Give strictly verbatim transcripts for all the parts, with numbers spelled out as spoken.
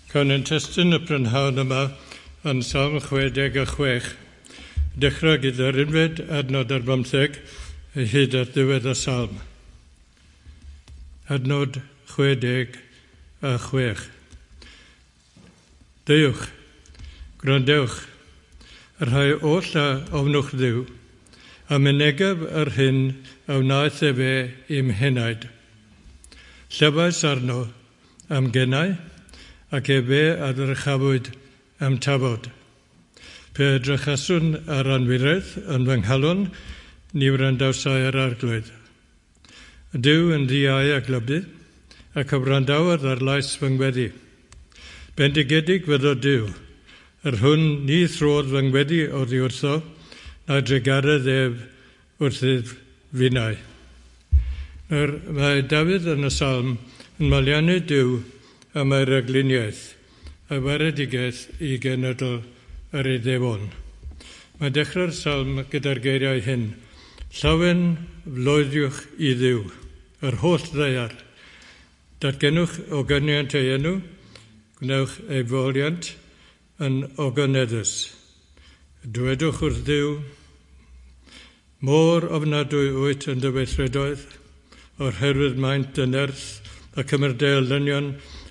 Cawn ein testun y prynhawn yma yn Salm chwe deg a chwech. Dechrau gyda'r unfed adnod ar bymtheg hyd at ddiwedd y salm. Adnod chwe deg a chwech. Deuwch, gwrandewch, y rhai oll a ofnwch Dduw, a mynegaf yr hyn a wnaeth efe i'm henaid. Llefais arno am gennau, ac efe a ddyrchafwyd am tafod. Pe edrychaswn ar anwiredd yn fy nghalon, ni wrandawsai yr Arglwydd. Duw yn ddiau a glybu, ac a wrandawodd ar lais fy ngweddi. Bendigedig fyddo Duw, yr hwn ni throdd fy ngweddi oddi wrtho, na drugaredd ef wrthyf finnau. Nawr, mae Dafydd yn y salm yn moliannu Duw am ei ragluniaeth, a waredigaeth i genedl yr Iddewon. Mae dechrau'r salm gyda'r geiriau hyn. Llawen floeddiwch i Dduw, yr holl ddaear. Datgenwch ogyniant ei enw, gwnewch ei foliant yn ogoneddus. Dwedwch wrth Dduw, mor ofnadwy wyt yn dy weithredoedd, o'r herwydd maint dy nerth a cymryd dy elynion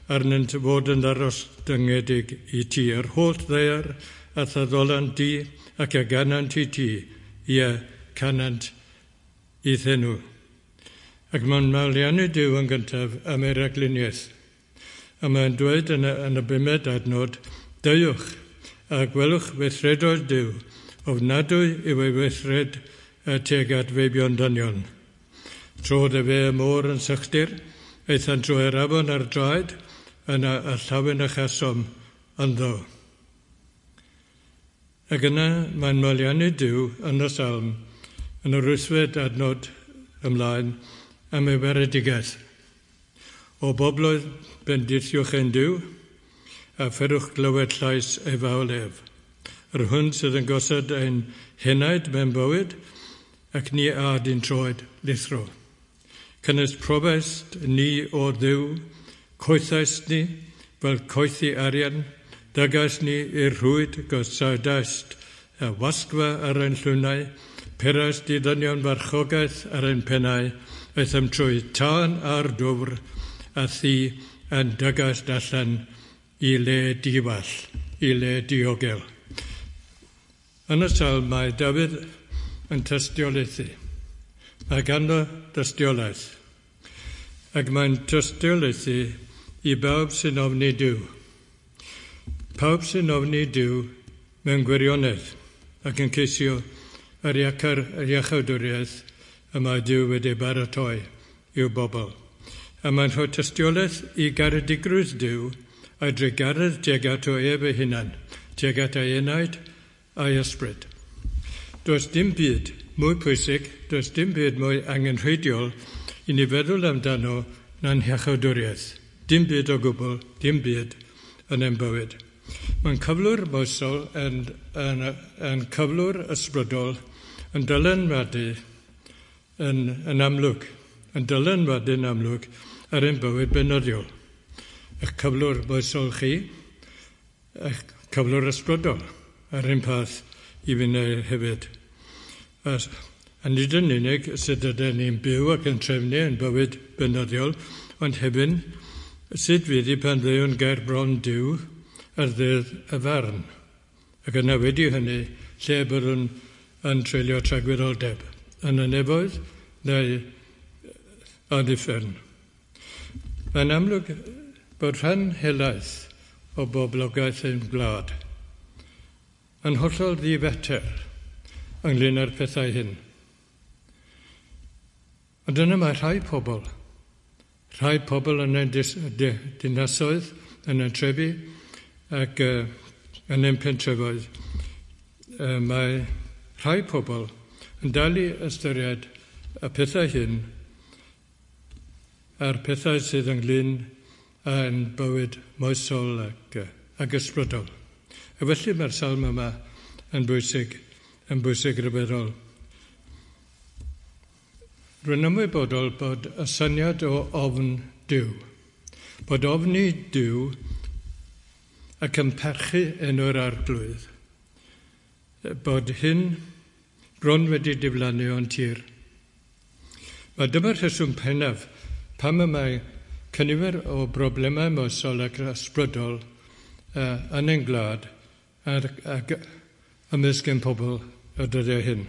arnynt fod yn ddarostyngedig i ti. Yr holl ddaear a thaddolant di ac a ganant i ti, ie, canant i'th enw. Ac mae'n moliannu Duw yn gyntaf am ei ragluniaeth. A mae'n dweud yn y, yn y bumed adnod, deuwch a gwelwch weithredoedd Duw, ofnadwy yw ei weithred tuag at feibion dynion. Trodd efe y môr yn sychdir, aethant drwy'r afon ar draed, yna y llawen a chasom ynddo. Ac yna mae'n moliannu Duw yn y salm, yn yr wythfed adnod ymlaen, am ei waredigaeth. O bobloedd, bendithiwch ein Duw, a pherwch glywed llais ei fawl ef. Yr hwn sydd yn gosod ein henaid mewn bywyd, ac ni ad i'n troed lithro. Cynnes profaist ni o Dduw, coethaist ni fel coethi arian, dygaist ni i'r rhwyd gosodaist y wasgfa ar ein llwnau, peraist i ddynion farchogaeth ar ein pennau, aethom trwy tân a'r dwfr, a thi yn dygaist allan i le diwall, i le diogel. Yn y salm mae Dafydd yn tystiolaethu. Mae ganddo dystiolaeth. Ac mae'n tystiolaethu i bawb sy'n ofni Duw. Pawb sy'n ofni Duw mewn gwirionedd ac yn ceisio yr iachar, yr iachawdwriaeth y mae Duw wedi baratoi i'w bobl. A mae'n rhoi tystiolaeth i garedigrwydd Duw a'i drugaredd tuag ato ef ei hunan, tuag at ei enaid a'i ysbryd. Does dim byd mwy pwysig, does dim byd mwy angenrheidiol i ni feddwl amdano na'n hiachawdwriaeth. Dim byd o gwbl, dim byd yn ein bywyd. Mae'n cyflwr moesol yn, yn, yn cyflwr ysbrydol yn dylanwadu yn, yn amlwg, yn dylanwadu'n amlwg ar ein bywyd beunyddiol. Eich cyflwr moesol chi, eich cyflwr ysbrydol ar un peth i finnau hefyd. A, a nid yn unig sut ydyn ni'n byw ac yn trefnu ein bywyd beunyddiol, ond hefyd sut fydd i pan ddeuwn ger bron Duw ar ddydd y farn. Ac yna wedi hynny, lle byddwn yn treulio tragwyddoldeb, yn y nefoedd neu yn uffern. Mae'n amlwg bod rhan helaeth o boblogaeth ein gwlad yn hollol ddifater ynglyn â'r pethau hyn. Ond yna mae rhai pobl, rhai pobl yn ein dinasoedd, yn ein trefi ac uh, yn ein pentrefoedd. Uh, mae rhai pobl yn dal i ystyried y pethau hyn a'r pethau sydd ynglyn â'n bywyd moesol ac, ac ysbrydol. A felly mae'r salm yma yn bwysig, yn bwysig rhyfeddol. Rwy'n ymwybodol bod y syniad o ofn Duw, bod ofni Duw ac yn parchu enw'r Arglwydd, bod hyn bron wedi diflannu o'n tir. Mae dyma'r rheswm pennaf pam y mae cynifer o broblemau moesol ac ysbrydol uh, yn ein gwlad ac, ac ymysg ein pobl y dyddiau hyn.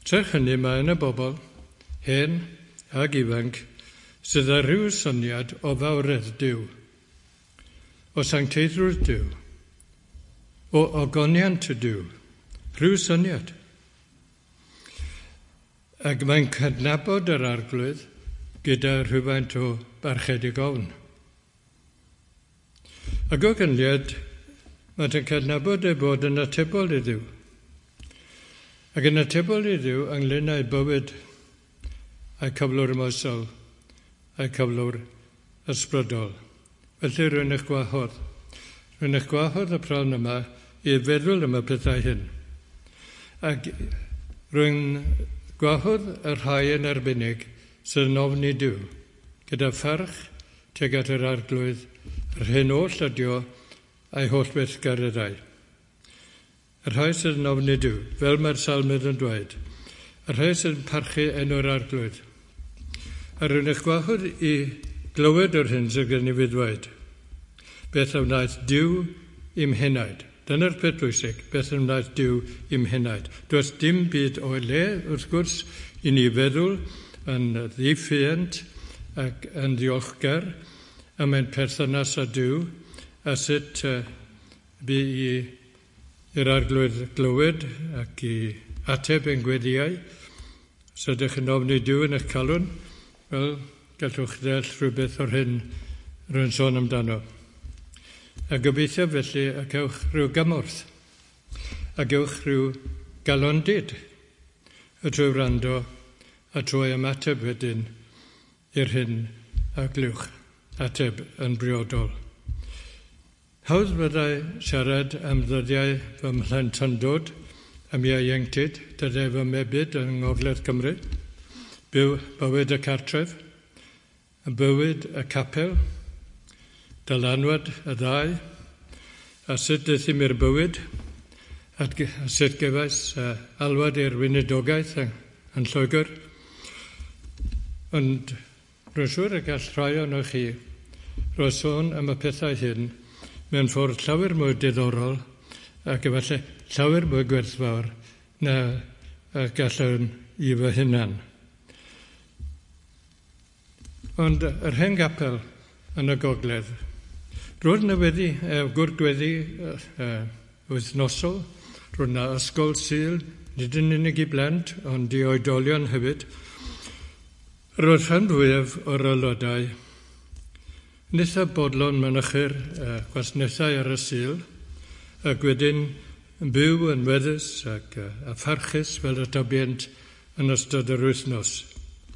Serch hynny, mae yna bobl, hen ac ifanc, sydd â rhyw syniad o fawredd Duw, o sancteiddrwydd Duw, o ogoniant y Duw, rhyw syniad. Ac mae'n cydnabod yr Arglwydd gyda rhywfaint o barchedig ofn. Ac o ganlyniad, mae'n cydnabod ei bod yn atebol i Dduw. Ac yn atebol i Dduw ynglyn â'i bywyd, a'i cyflwr moesol, a'i cyflwr ysbrydol. Felly rwy'n eich gwahodd. Rwy'n eich gwahodd y prynhawn yma i feddwl am y pethau hyn. Ac rwy'n gwahodd y rhai yn arbennig sydd yn ofni Duw, gyda pharch tuag at yr Arglwydd, yr hyn oll ydi o a'i holl weithgareddau. Y rhai sydd yn ofni Duw, fel mae'r salmydd yn dweud, y rhai sydd yn parchu enw'r Arglwydd. A rwy'n eich gwahodd i glywed yr hyn sydd gen i fi ddweud. Beth a wnaeth Duw i'm henaid. Dyna'r peth pwysig, beth a wnaeth Duw i'm henaid. Does dim byd o'i le, wrth gwrs, i ni feddwl yn ddiffuant ac yn ddiolchgar am ein perthynas â Duw a sut uh, bu i i'r Arglwydd glywed ac i ateb ein gweddiau. Os ydych yn ofni Duw yn eich calon, wel, gallwch ddeall rhywbeth o'r hyn rwy'n sôn amdano. A gobeithio felly y cewch rhyw gymorth, a gewch rhyw galondid y trwy wrando a trwy ymateb wedyn i'r hyn a glywch, ateb yn briodol. Hawdd fyddai siarad am ddyddiau fy mhlentyndod, am ieuenctid, dyddiau fy mebyd yng Ngogledd Cymru, byw bywyd y cartref, y bywyd y capel, dylanwad y ddau, a sut daethum i'r bywyd, a sut gefais alwad i'r weinidogaeth yn Lloegr. Ond rwy'n siŵr y gall rhai ohonoch chi roi sôn am y pethau hyn mewn ffordd llawer mwy diddorol ac efallai llawer mwy gwerthfawr na gallwn i fy hunan. Ond yr hen gapel yn y gogledd, roedd yna weddi, gwr gweddi uh, wythnosol, roedd yna ysgol Sul, nid yn unig i blant, ond i oedolion hefyd. Roedd rhan fwyaf o'r aelodau yn eitha bodlon mynychu'r uh, gwasanaethau ar y Sul, ac wedyn yn byw yn weddus ac uh, a pharchus fel y tybient yn ystod yr wythnos.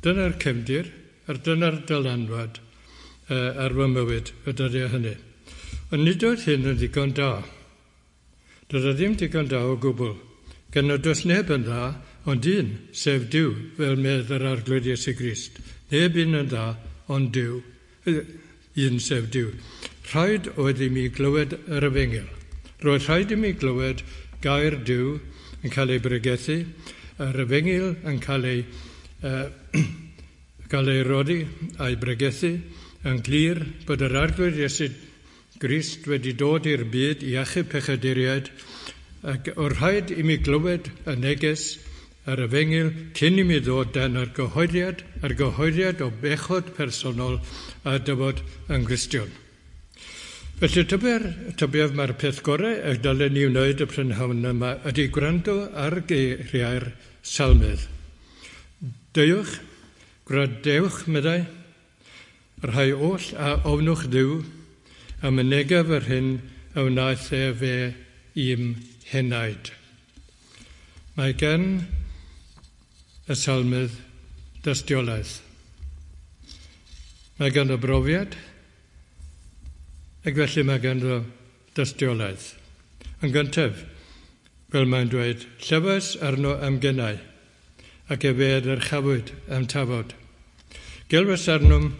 Dyna'r cefndir, a dyna'r dylanwad uh, ar fy mywyd y dyddiau hynny. Ond nid oedd hyn yn ddigon da. Doedd o ddim digon da o gwbl. Gan nad oes neb yn dda, ond un, sef Duw, fel medd yr Arglwydd Iesu Grist. Neb un yn dda, ond Duw, un sef Duw. Rhaid oedd i mi glywed yr efengyl. Roedd rhaid i mi glywed gair Duw yn cael ei bregethu, yr efengyl yn cael ei, uh, cael ei roddi a'i bregethu, yn glir bod yr Arglwydd Iesu Grist wedi dod i'r byd i achub pechaduriaid, ac o'r rhaid i mi glywed y neges yr efengyl cyn i mi ddod dan yr gyhoeddiad, yr gyhoeddiad o bechod personol a dyfod yn Gristion. Felly tybiaf, tybiaf mae'r peth gorau y dylen ni wneud y prynhawn yma ydy gwrando ar geiriau'r salmydd. Deuwch, gwrandewch, meddai, y rhai oll a ofnwch Dduw, a mynegaf yr hyn a wnaeth efe i'm henaid. Mae gan y salmydd dystiolaeth. Mae ganddo brofiad, ac felly mae ganddo dystiolaeth. Yn gyntaf, fel mae'n dweud, llefais arno am genau, ac efe a ddyrchafwyd a'm tafod. Gelwais arnom,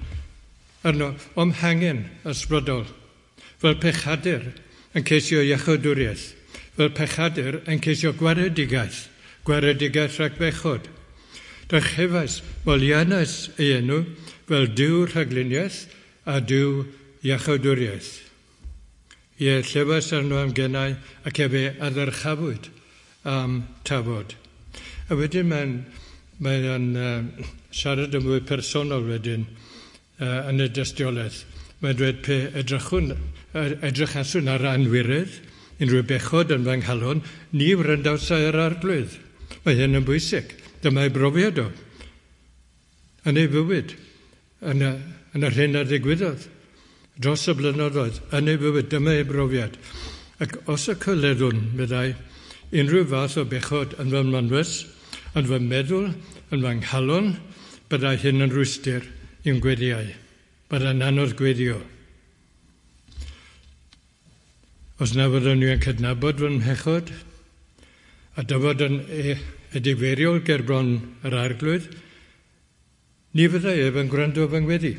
arno o'm hangen ysbrydol, fel pechadur yn ceisio iachawdwriaeth, fel pechadur yn ceisio gwaredigaeth, gwaredigaeth rhag bechod. Dyrchefais, moliannais ei enw fel Duw rhagluniaeth a Duw iachawdwriaeth. Ie, llefais arno am gennau ac efe a ddyrchafwyd am tafod. A wedyn mae'n mae o'n uh, siarad yn fwy personol wedyn uh, yn y dystiolaeth. Mae'n dweud pe edrychwn, edrychaswn ar anwiredd, unrhyw bechod yn fy nghalon, ni wrandawsai yr Arglwydd. Mae hyn yn bwysig. Dyma ei brofiad o. Yn ei fywyd, yn, y, yn yr hyn a ddigwyddodd, dros y blynyddoedd, yn ei fywyd, dyma ei brofiad. Ac os y coleddwn, meddai, unrhyw fath o bechod yn fy mynwes, yn fy meddwl, yn fy nghalon, byddai hyn yn rhwystr i'm gweddiau. Byddai'n anodd gweddio. Os na fyddwn ni yn cydnabod fy mhechod, a dyfod yn edifeiriol ger bron yr Arglwydd, ni fyddai ef yn gwrando fy ngweddi.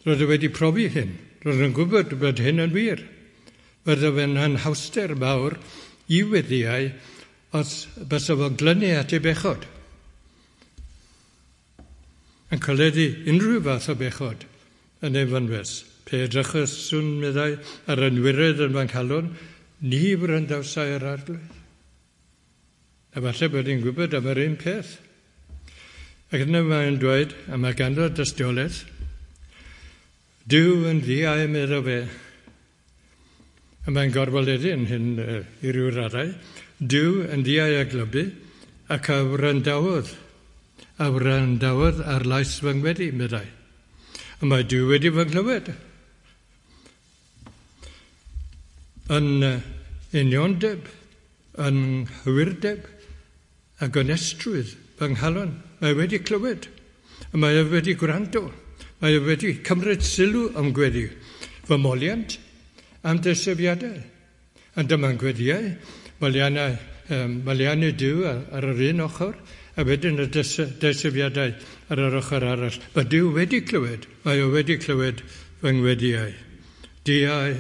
Roedd e wedi profi hyn. Roedd yn gwybod bod hyn yn wir. Roedd fe'n anhawster mawr i weddiau os bysa fo'n glynu at ei bechod. Yn coleddu unrhyw fath o bechod yn ei fynwes. Pe edrychaswn, meddai, ar anwiredd yn fy nghalon, ni wrandawsai yr Arglwydd. A falle bod hi'n gwybod am yr un peth. Ac yna mae'n dweud, a mae ganddo dystiolaeth, Duw yn ddiau, meddo fe. A mae'n gorfoleddu yn hyn uh, i ryw raddau. Duw yn ddiau a glybu, ac a wrandawodd, a wrandawodd ar lais fy ngweddi, meddai. A mae Duw wedi fy nghlywed. Yn uh, uniondeb, yn nghywirdeb, a gonestrwydd fy nghalon, mae wedi clywed. A mae e wedi gwrando. Mae e wedi cymryd sylw am gweddi. Fy moliant am deisyfiadau. Ond dyma'n gweddiau, moliannau, um, moliannau Duw ar, ar yr un ochr, a wedyn y deisyfiadau ar yr ochr arall. Mae Duw wedi clywed, mae o wedi clywed fy ngweddiau. Diau,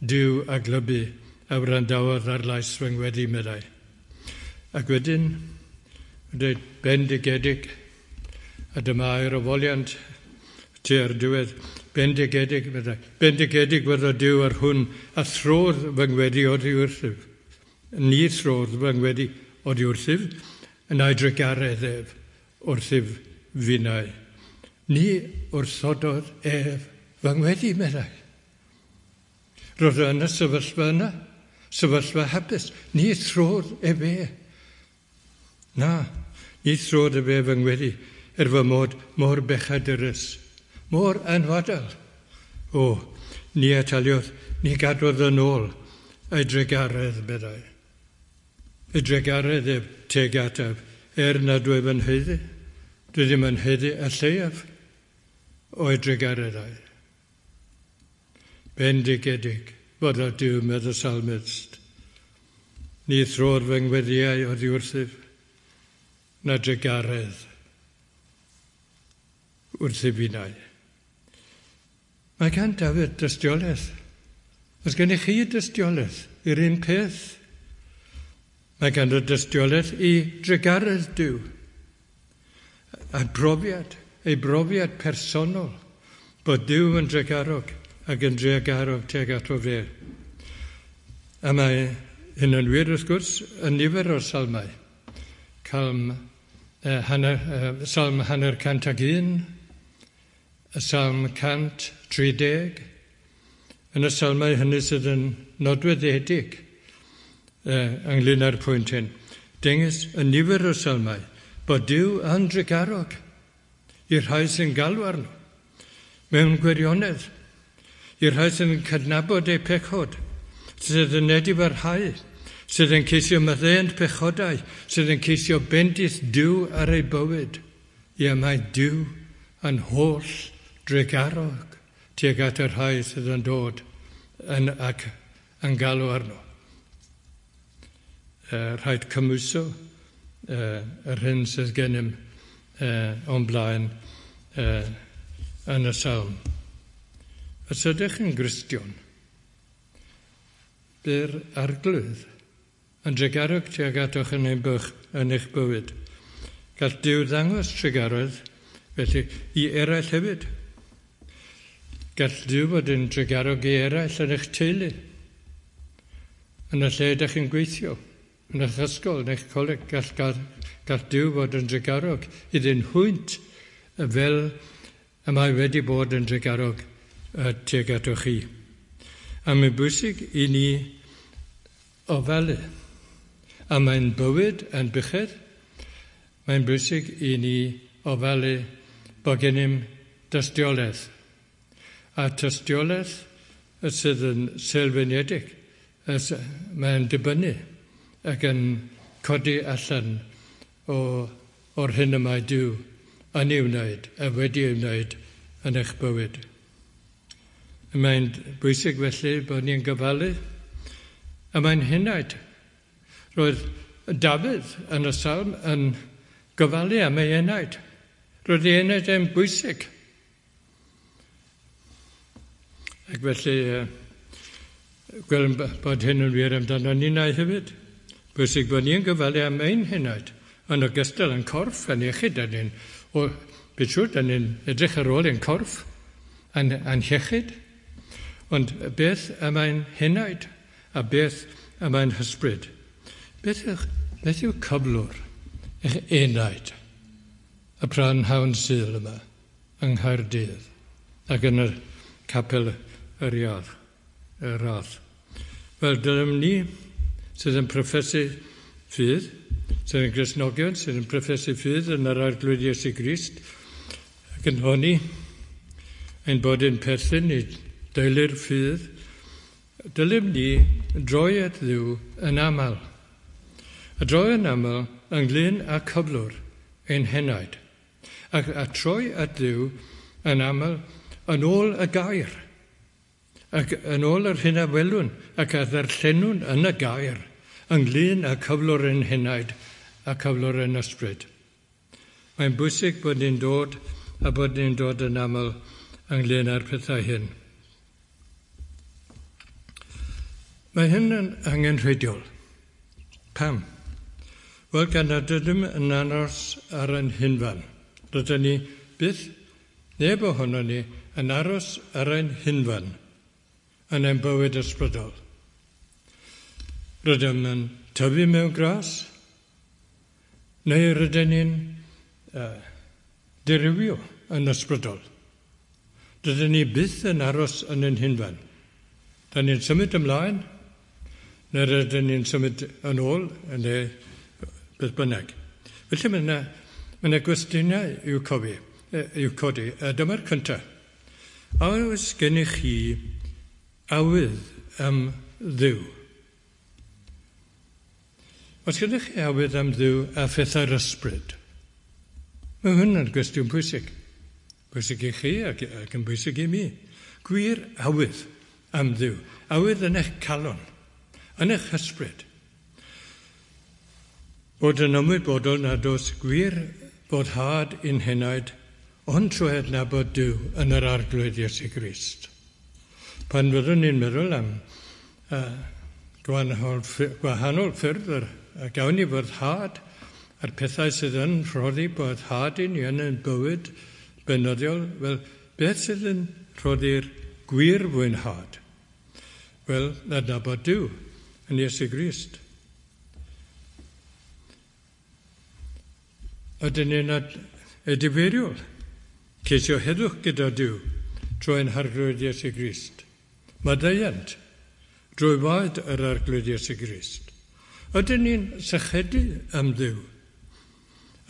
Duw a glybu, a wrandawodd ar lais fy ngweddi, meddai. Ac wedyn, dweud bendigedig, a dyma air o foliant tua'r diwedd, bendigedig, meddai, bendigedig fyddo Duw ar hwn, a throdd fy ngweddi oddi wrthyf. Ni throdd fy ngweddi oddi wrthyf, yn ei drugaredd ef wrthyf finnau. Ni wrthododd ef fy ngweddi, meddai. Roedd o yn y sefyllfa yna, sefyllfa hapus. Ni throdd ef e. Na, ni throdd ef e fy ngweddi, er fy mod mor bechadurus, mor anwadal. O, ni ataliodd, ni gadwodd yn ôl ei drugaredd, meddai. Ei drugaredd ef teg ataf, er nad wyf yn haeddu, dwi ddim yn haeddu y lleiaf o'i drugareddau. Bendigedig fod o Duw, medd y salmist. Ni throdd fy ngweddiau oddi wrthyf, na drugaredd wrthyf finnau. Mae gan Dafydd dystiolaeth. Oes gennych chi dystiolaeth i'r un peth? Mae ganddo dystiolaeth i drugaredd Duw. A brofiad, ei brofiad personol, bod Duw yn drugarog ac yn drugarog tuag ato fe. A mae hyn yn wir, wrth gwrs, yn nifer o'r salmau. Calm, eh, hanner, eh, salm hanner cant ag un, y salm cant tri deg, yn y salmau hynny sydd yn nodweddiedig eh, ynglyn â'r pwynt hyn. Dengys y nifer o'r salmau bod Duw yn drugarog i'r rhai sy'n galw arno, mewn gwirionedd, i'r rhai sy'n cydnabod eu pechod, sydd yn edifarhau, sydd yn ceisio maddeuant pechodau, sydd yn ceisio bendith Duw ar ei bywyd. Ie, mae Duw yn holl drugarog tuag at y rhai sydd yn dod yn, ac yn galw arno. Uh, rhaid cymhwyso uh, yr hyn sydd gennym uh, o'n blaen uh, yn y salm. Os ydych yn Gristion, bu'r Arglwydd yn drugarog tuag atoch yn ein bych, yn eich bywyd. Gall Duw ddangos trugaredd felly i eraill hefyd. Gall Duw fod yn drugarog i eraill yn eich teulu, yn y lle ydych chi'n gweithio, yn eich ysgol, yn eich coleg. Gall, gall, gall Duw fod yn drugarog iddyn hwynt fel y mae wedi bod yn drugarog tuag atoch chi. A mae'n bwysig i ni ofalu. A mae'n bywyd yn buchedd, mae'n bwysig i ni ofalu bod gennym dystiolaeth. A tystiolaeth sydd yn sylfaenedig, mae'n dibynnu ac yn codi allan o, o'r hyn y mae Duw yn ei wneud a wedi ei wneud yn eich bywyd. Mae'n bwysig felly bod ni'n gofalu, a mae'n henaid. Roedd Dafydd yn y salm yn gofalu am ei enaid. Roedd ei enaid yn bwysig. Ac felly, gwelwn bod hyn yn wir amdano ninnau hefyd. Bwysig bod ni'n gofalu am ein henaid, yn ogystal yn corff, yn iechyd, yn ni'n, o, byd siŵr, yn ni'n edrych ar ôl ein corff, a'n, a'n iechyd. Ond beth am ein henaid a beth am ein hysbryd? Beth yw, beth yw cyflwr eich enaid y prynhawn Sul yma yng Nghaerdydd ac yn y capel yr Iardd, y Rhath? Wel, dylem ni sydd yn proffesu ffydd, sydd yn Gristnogion, sydd yn proffesu ffydd yn yr Arglwydd Iesu Grist, ac yn honni ein bod yn perthyn i deulu'r ffydd, dylem ni droi at Dduw yn aml. A droi yn aml ynglyn â cyflwr ein henaid. Ac a troi at Dduw yn aml yn ôl y gair. Ac yn ôl yr hyn a welwn ac a ddarllenwn yn y gair ynglyn â cyflwr ein henaid a cyflwr ein ysbryd. Mae'n bwysig bod ni'n dod a bod ni'n dod yn aml ynglyn â'r pethau hyn. Mae hyn yn angenrheidiol. Pam? Wel, gan nad ydym yn aros ar ein hunfan. Rydyn ni byth, neb ohono ni, yn aros ar ein hunfan yn ein bywyd ysbrydol. Rydym yn tyfu mewn gras, neu rydyn ni'n uh, dirywio yn ysbrydol. Rydyn ni byth yn aros yn ein hunfan. Da ni'n symud ymlaen, neu rydyn ni'n symud yn ôl, neu beth bynnag. Felly mae yna, mae yna gwestiynau i'w cofi, i'w codi. A dyma'r cyntaf. A oes gennych chi awydd am Dduw? Oes gennych chi awydd am Dduw a phethau'r ysbryd? Mae hwn yn gwestiwn pwysig. Pwysig i chi ac, ac yn bwysig i mi. Gwir awydd am Dduw. Awydd yn eich calon, yn eich ysbryd. Bod yn ymwybodol nad oes gwir boddhad i'n henaid, ond trwy adnabod Duw yn yr Arglwydd Iesu Grist. Pan fyddwn ni'n meddwl am uh, gwahanol, gwahanol ffyrdd yr, a gawn ni boddhad a'r pethau sydd yn rhoddi boddhad i ni yn ein bywyd beunyddiol, wel, beth sydd yn rhoddi'r gwir fwynhad? Wel, adnabod Duw yn Iesu Grist. Ydyn ni'n edifeiriol, ceisio heddwch gyda Duw trwy ein Harglwydd Iesu Grist. Maddeuant drwy waed yr Arglwydd Iesu Grist. Ydyn ni'n sychedu am Dduw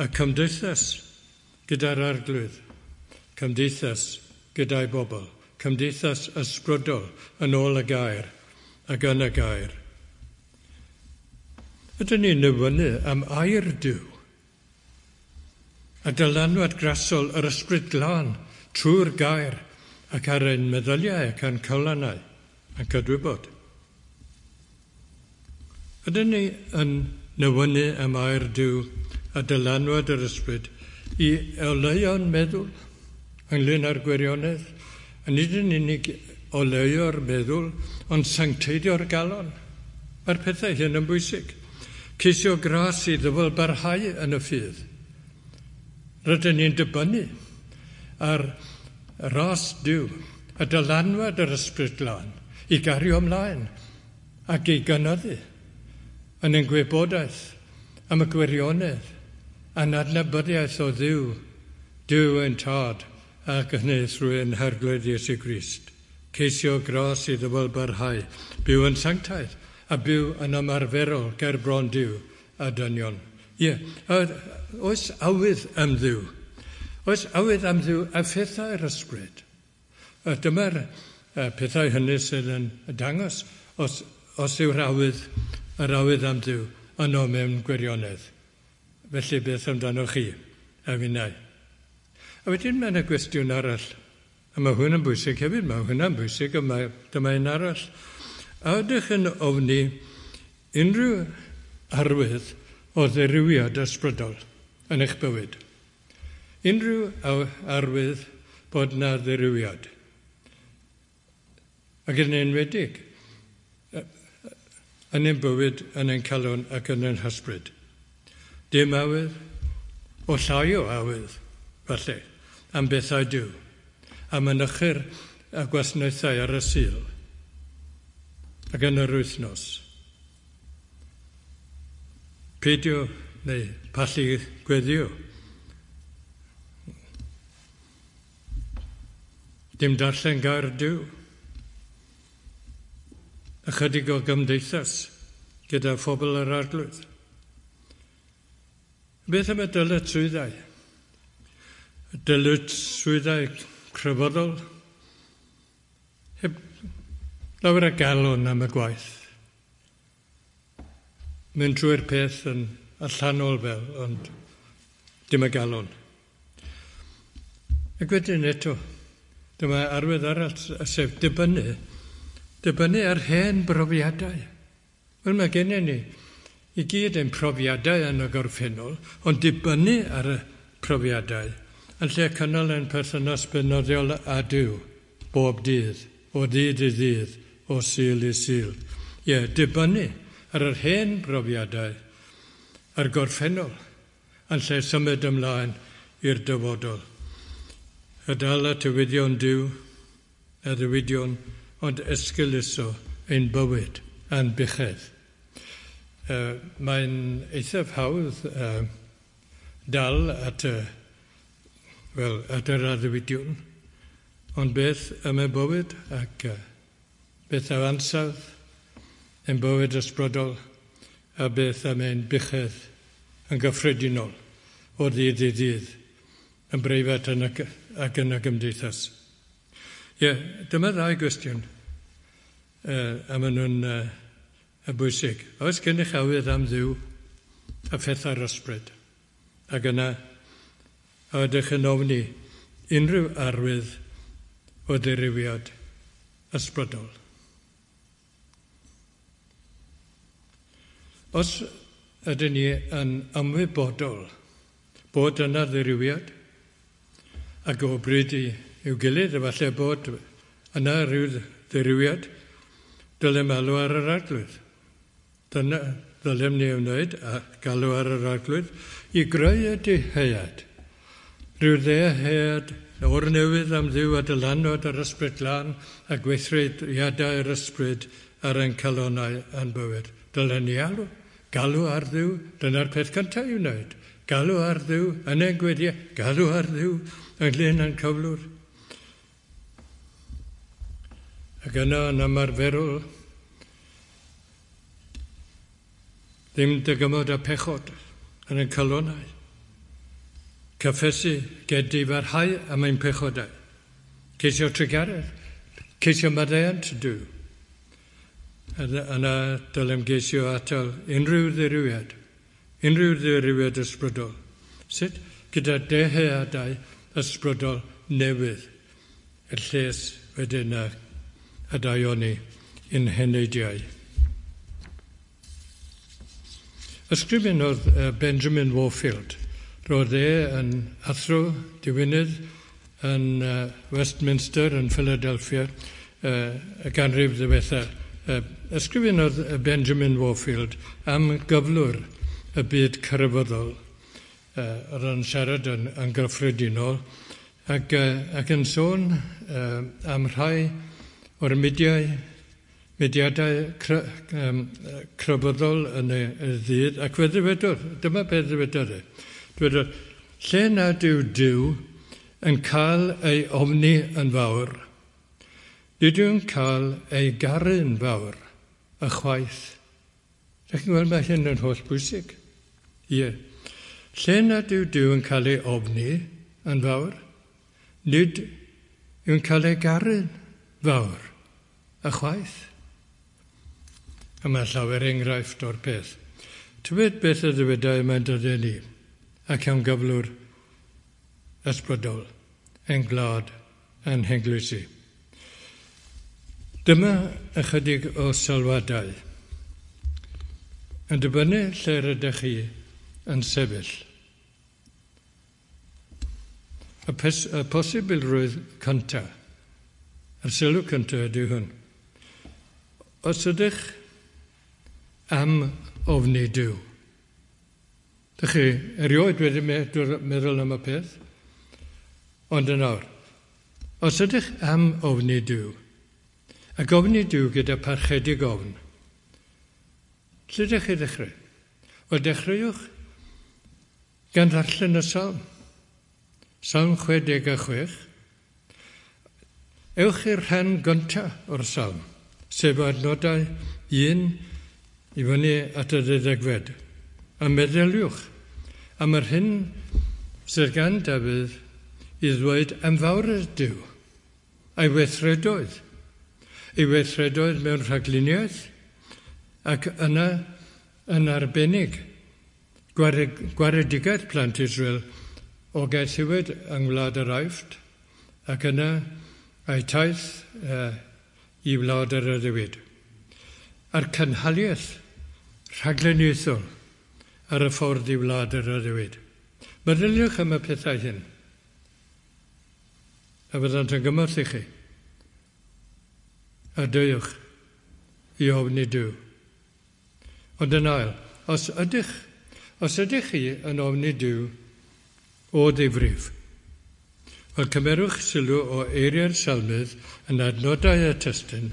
a cymdeithas gyda'r Arglwydd, cymdeithas gyda'i bobl, cymdeithas ysbrydol yn ôl y gair ac yn y gair. Ydyn ni'n nyfynnu am air Duw a dylanwad grasol yr ysbryd glân trwy'r gair ac ar ein meddyliau ac ein calonnau a'n cydwybod. Ydyn ni yn newynu am air Duw a dylanwad yr ysbryd i oleuo'n meddwl ynglyn â'r gwirionedd, a nid yn unig oleuo'r meddwl, ond sancteiddio'r galon. Mae'r pethau hyn yn bwysig. Ceisio gras i ddyfal barhau yn y ffydd. Rydyn ni'n dibynnu ar ras Duw, y dylanwad yr Ysbryd Glân, i gario ymlaen ac i gynyddu yn ein gwybodaeth am y gwirionedd a'n adnabyddiaeth o Dduw, Duw ein Tad, ac hynny trwy ein Harglwydd Iesu Grist. Ceisio gras i ddyfal barhau, byw yn sanctaidd a byw yn ymarferol ger bron Duw a dynion. Ie, yeah, oes awydd am Dduw. Oes awydd am Dduw a phethau'r ysbryd. Dyma'r pethau hynny sydd yn dangos os, os yw'r awydd, yr awydd am Dduw yno mewn gwirionedd. Felly beth amdano chi a finnau? A wedyn mae yna gwestiwn arall. A mae hwn yn bwysig hefyd, mae hwnna'n bwysig, a mae, dyma un arall. A ydych yn ofni unrhyw arwydd o ddirywiad ysbrydol yn eich bywyd? Unrhyw arwydd bod na ddirywiad? Ac yn enwedig, yn ein bywyd, yn ein calon ac yn ein hysbryd. Dim awydd, o llai o awydd, falle, am bethau Duw, a mynychu'r y gwasanaethau ar y Sul ac yn yr wythnos. Peidio neu pallu gweddio. Dim darllen gair Duw. Ychydig o gymdeithas gyda phobl yr Arglwydd. Beth am y dyletswyddau? Dyletswyddau crefyddol? Heb lawer o galon am y gwaith. Mynd trwy'r peth yn allanol fel, ond dim y galon. Ac wedyn eto, dyma arwydd arall, sef dibynnu, dibynnu ar hen brofiadau. Wel, mae gennym ni i gyd ein profiadau yn y gorffennol, ond dibynnu ar y profiadau yn lle cynnal ein perthynas beunyddiol â Duw bob dydd, o ddydd i ddydd, o Sul i Sul. Ie, yeah, dibynnu ar yr hen brofiadau, a'r gorffennol, yn lle symud ymlaen i'r dyfodol. A dal at addewidon Duw, addewidion, ond esgeuluso ein bywyd a'n buchedd. Uh, mae'n eithaf hawdd uh, dal at y, wel, at yr addewidion, ond beth am y bywyd ac uh, beth am ansawdd ein bywyd ysbrydol a beth am ein buchedd yn gyffredinol o ddydd i ddydd, yn breifat yn y, ac yn y gymdeithas. Ie, yeah, dyma ddau gwestiwn uh, a maen nhw'n uh, bwysig. Oes gennych awydd am Dduw a phethau'r ysbryd? Ac yna, a ydych yn ofni unrhyw arwydd o ddirywiad ysbrydol? Os ydyn ni yn ymwybodol bod yna ddirywiad, ac o bryd i'w gilydd, efallai bod yna rhyw ddirywiad, dylem alw ar yr Arglwydd. Dyna ddylem ni wneud, a galw ar yr Arglwydd, i greu y dyhead. Rhyw ddyhead o'r newydd am Dduw a dylanwad yr Ysbryd Glân a gweithrediadau'r Ysbryd ar ein calonnau a'n bywyd. Dylen ni alw, galw ar Dduw, dyna'r peth cyntaf i'w wneud. Galw ar Dduw yn ein gweddiau, galw ar Dduw ynglyn â'n cyflwr. Ac yna yn ymarferol, ddim dygymod â pechod yn ein calonnau. Cyffesu gedifarhau am ein pechodau. Ceisio trugaredd, ceisio maddeuant Duw. Yna dylem geisio atal unrhyw ddirywiad, unrhyw ddirywiad ysbrydol. Sut? Gyda dyheadau ysbrydol newydd, y lles wedyn a, a daioni i'n heneidiau. Ysgrifennodd Benjamin Warfield. Roedd e yn athro diwinydd yn Westminster yn Philadelphia y ganrif ddiwetha Ysgrifennodd Benjamin Warfield am gyflwr y byd crefyddol. Oedd yn siarad yn, yn gyffredinol ac, ac yn sôn am rhai o'r mudiau, mudiadau cre, um, crefyddol yn y, y ddydd, ac fe ddywedodd, dyma beth ddywedodd e. Dwedodd, lle nad yw Duw yn cael ei ofni yn fawr, nid yw'n cael ei garu'n fawr, ychwaith. Dych chi'n gweld mae hyn yn holl bwysig? Ie. Lle nad yw Duw yn cael ei ofni yn fawr, nid yw'n cael ei garu'n fawr, ychwaith. A mae llawer enghraifft o'r peth. Tybed beth y ddywedai mae'n dyddiau ni, ac am gyflwr ysbrydol, ein gwlad, ein heglwysi. Dyma ychydig o sylwadau. Yn dibynnu lle rydych chi yn sefyll. Y, pes, y posibilrwydd cyntaf, y sylw cyntaf ydy hwn. Os ydych am ofni Duw, dych chi erioed wedi meddwl am y peth, ond yn awr, os ydych am ofni Duw, ac ofni Duw gyda parchedig ofn, lle ydych chi ddechrau? Wel, dechreuwch gan ddarllen y salm. Salm chwe deg a chwech. Ewch i'r rhan gyntaf o'r salm, sef adnodau un i fyny at y ddeuddegfed. A meddyliwch am yr hyn sydd gan Dafydd i ddweud am fawredd Duw, a'i weithredoedd. Ei weithredoedd mewn rhagluniaeth, ac yna yn arbennig gwaredigaeth plant Israel o gaethiwed yng Ngwlad yr Aifft, ac yna a'i taith uh, i wlad yr addewid. A'r cynhaliaeth rhagluniaethol ar y ffordd i wlad yr addewid. Meddyliwch am y pethau hyn, a fyddant yn gymorth i chi. A deuwch i ofni Duw. Ond yn ail, os ydych, os ydych chi yn ofni Duw o ddifrif, wel cymerwch sylw o eiriau'r salmydd yn adnodau y testun,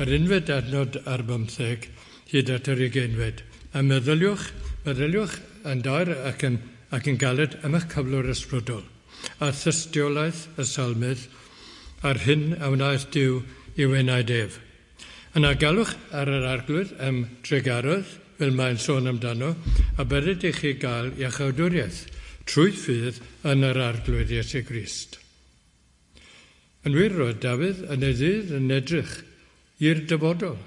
yr unfed adnod ar bymtheg hyd at yr ugeinfed, a meddyliwch, meddyliwch yn daer ac yn, ac yn galed am eich cyflwr ysbrydol, a thystiolaeth y salmydd a'r hyn a wnaeth Duw i'w enaid ef. Yna galwch ar yr arglwydd am drugaredd, fel mae'n sôn amdano, a bydded i chi gael iachawdwriaeth trwy ffydd yn yr arglwydd Iesu Grist. Yn wir, roedd Dafydd yn ei ddydd yn edrych i'r dyfodol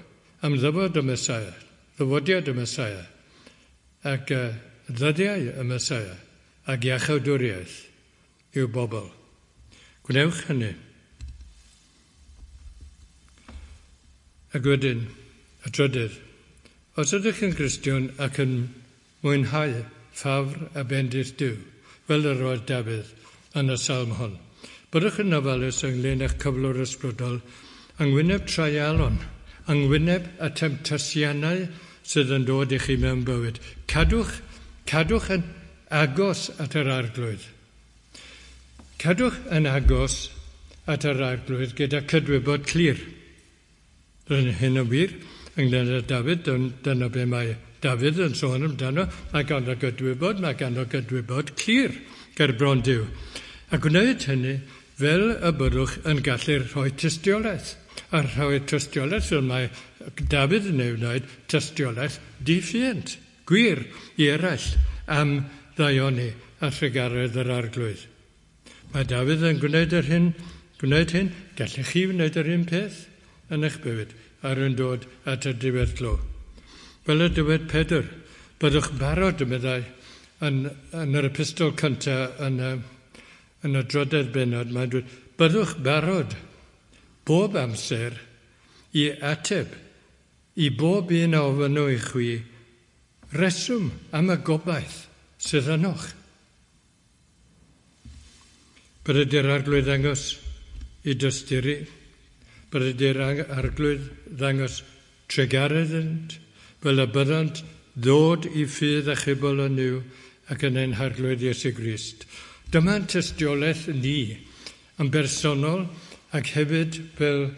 am ddyfod y Mesaia, ddyfodiad y Mesaia, ac uh, ddyddiau y Mesaia, ac iachawdwriaeth i'w bobl. Gwnewch hynny. Ac wedyn, y trydydd, os ydych yn Gristion ac yn mwynhau ffafr a bendith Duw, fel yr oedd Dafydd yn y salm hon, byddwch yn ofalus ynglyn â'ch cyflwr ysbrydol, yng ngwyneb treialon, yng ngwyneb y temtasiynau sydd yn dod i chi mewn bywyd. Cadwch, cadwch yn agos at yr arglwydd. Cadwch yn agos at yr arglwydd gyda cydwybod clir. Yn hyn yn wir, ynglyn â Dafydd, dyna be mae Dafydd yn sôn amdano, mae ganddo gydwybod, mae ganddo gydwybod clir ger bron Duw. A gwneud hynny fel y byddwch yn gallu rhoi tystiolaeth. A rhoi tystiolaeth fel mae Dafydd yn ei wneud, tystiolaeth diffuant, gwir i eraill am ddaioni a thrugaredd yr arglwydd. Mae Dafydd yn gwneud yr hyn, gwneud hyn, gallech chi wneud yr un peth yn eich bywyd ar yn dod at y diweddglo. Fel y dywed Pedr, byddwch barod, meddai, yn, yn yr epistol cyntaf yn y, yn y drydedd bennod, mae'n dweud, byddwch barod bob amser i ateb i bob un a ofynno i chwi reswm am y gobaith sydd ynoch. Bydded i'r arglwydd ddangos i dosturi, bydded i'r arglwydd ddangos Trugaredd iddynt, fel y byddant ddod i ffydd achubol yn Nuw ac yn ein Harglwydd Iesu Grist. Dyma'n tystiolaeth ni yn bersonol ac hefyd fel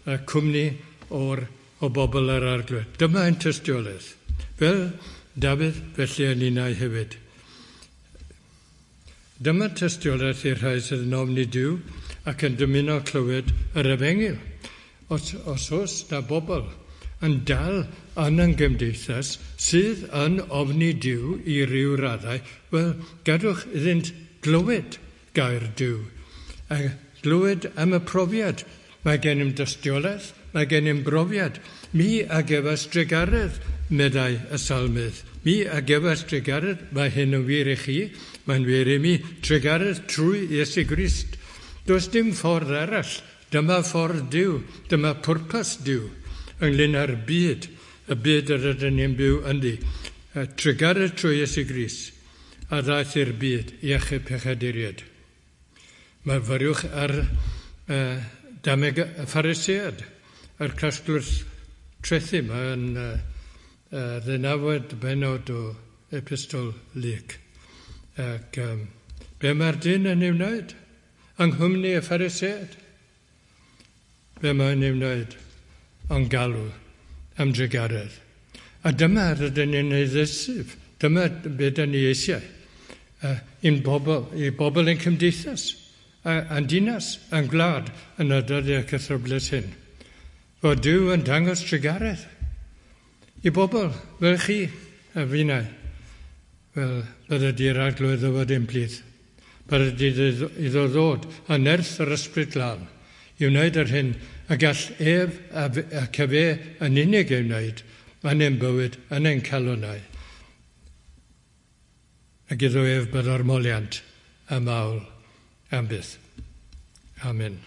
y cwmni o'r, o bobl yr Arglwydd. Dyma ein tystiolaeth. Fel Dafydd, felly yn ninnau hefyd. Dyma tystiolaeth i'r rhai sydd yn ofni Duw ac yn dymuno clywed yr efengyl. Os, os oes na bobl yn dal yn ein gymdeithas sydd yn ofni Duw i ryw raddau, wel, gadwch iddynt glywed gair Duw. A glywed am y profiad. Mae gennym dystiolaeth, mae gennym brofiad. Mi a gefais drugaredd, meddai y salmydd. Mi a gefais drugaredd, mae hyn yn wir i chi, mae'n wir i mi, trugaredd trwy Iesu Grist. Does dim ffordd arall, dyma ffordd Duw, dyma pwrpas Duw ynglyn â'r byd, y byd yr ydyn ni'n byw ynddi. Trugaredd trwy Iesu Grist, a ddaeth i'r byd i achub pechaduriaid. Myfyriwch ar uh, dameg y Pharisead, a'r casglwr trethi. Mae'n uh, uh, ddeunawfed bennod o epistol Luc. Ac um, be mae'r dyn yn ei wneud? Yng nghwmni y Pharisead. Be mae'n ei wneud? Ond galw am drugaredd. A dyma rydyn ni'n ei ddeisyf. Dyma beth dyn ni eisiau. Uh, i'n bobl, i bobl ein cymdeithas, a'n dinas, a'n gwlad yn y dyddiau cythryblus hyn. Fod Duw yn dangos trugaredd i bobl fel chi a finnau. Wel, bydde di'r Arglwydd ddyfod ein plith. Bydde di iddo ddod a nerth yr Ysbryd Glân i wneud yr hyn a gall ef ac efe yn unig ei wneud yn ein bywyd, yn ein calonnau. Ac iddo ef byddo'r moliant a mawl am byth. Amen.